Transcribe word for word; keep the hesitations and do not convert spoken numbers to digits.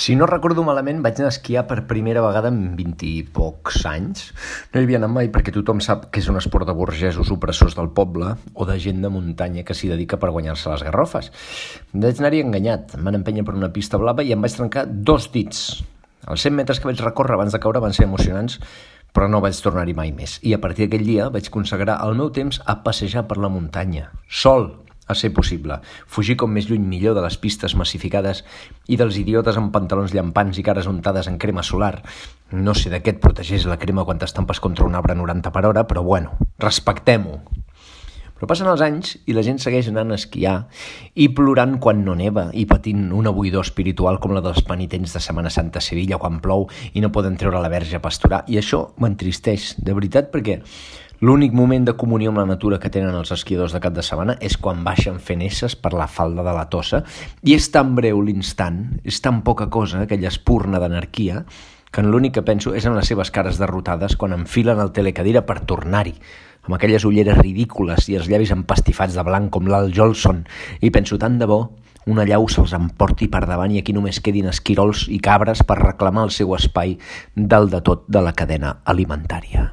Si no recordo malament, vaig anar a esquiar per primera vegada en vint i pocs anys. No hi havia anat mai perquè tothom sap que és un esport de burgesos opressors del poble o de gent de muntanya que s'hi dedica per guanyar-se les garrofes. Vaig anar-hi enganyat. Em van empènyer per una pista blava i em vaig trencar dos dits. Els cent metres que vaig recórrer abans de caure van ser emocionants, però no vaig tornar-hi mai més. I a partir d'aquell dia vaig consagrar el meu temps a passejar per la muntanya, sol, a ser possible, fugir com més lluny millor de les pistes massificades i dels idiotes amb pantalons llampants i cares untades en crema solar. No sé de què et protegeix la crema quan t'estampes contra un arbre a noranta per hora, però bueno, respectem-ho. Però passen els anys i la gent segueix anant a esquiar i plorant quan no neva i patint una buidor espiritual com la dels penitents de Setmana Santa a Sevilla quan plou i no poden treure la verge a pasturar. I això m'entristeix, de veritat, perquè l'únic moment de comunió amb la natura que tenen els esquiadors de cap de setmana és quan baixen fent esses per la falda de la Tossa i és tan breu l'instant, és tan poca cosa, aquella espurna d'anarquia, que l'únic que penso és en les seves cares derrotades quan enfilen el telecadira per tornar-hi, amb aquelles ulleres ridícules i els llavis empastifats de blanc com l'Al Jolson, i penso tant de bo una llau se'ls emporti per davant i aquí només quedin esquirols i cabres per reclamar el seu espai dalt de tot de la cadena alimentària.